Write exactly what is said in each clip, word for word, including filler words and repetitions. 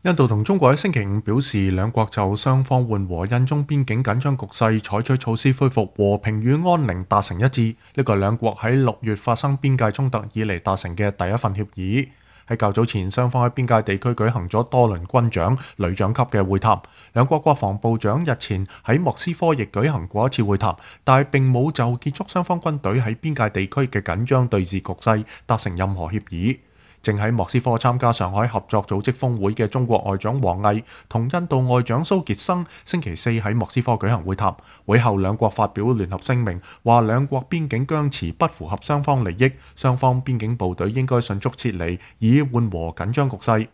印度同中國喺星期五表示，兩國就雙方緩和印中邊境緊張局勢採取措施恢復和平與安寧達成一致。呢個係兩國喺六月發生邊界衝突以嚟達成嘅第一份協議。喺較早前，雙方喺邊界地區舉行咗多輪軍長、旅長級嘅會談。兩國國防部長日前喺莫斯科亦舉行過一次會談，但係並冇就結束雙方軍隊喺邊界地區嘅緊張對峙局勢達成任何協議。正喺莫斯科參加上海合作組織峰會嘅中國外長王毅同印度外長蘇傑生星期四喺莫斯科舉行會談，會後兩國發表聯合聲明，話兩國邊境僵持不符合雙方利益，雙方邊境部隊應該迅速撤離，以緩和緊張局勢。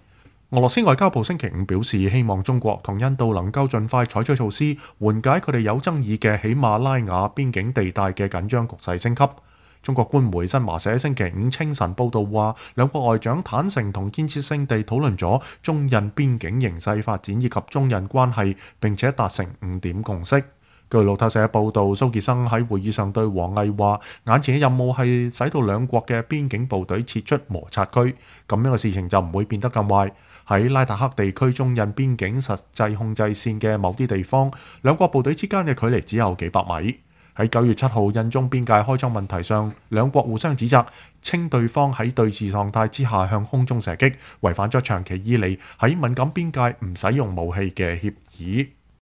俄羅斯外交部星期五表示，希望中國同印度能夠盡快採取措施，緩解佢哋有爭議嘅喜馬拉雅邊境地帶嘅緊張局勢升級。中國官媒新華社星期五清晨報道話，兩國外長坦誠同建設性地討論咗中印邊境形勢發展以及中印關係，並且達成五點共識。據路透社報道，蘇傑生喺會議上對王毅話，眼前嘅任務係使到兩國嘅邊境部隊撤出摩擦區，咁樣嘅事情就唔會變得咁壞。喺拉達克地區中印邊境實際控制線嘅某啲地方，兩國部隊之間嘅距離只有幾百米。喺九月七號印中邊界開裝問題上，兩國互相指責，稱對方喺對峙狀態之下向空中射擊，違反咗長期以嚟喺敏感邊界唔使用武器嘅協議。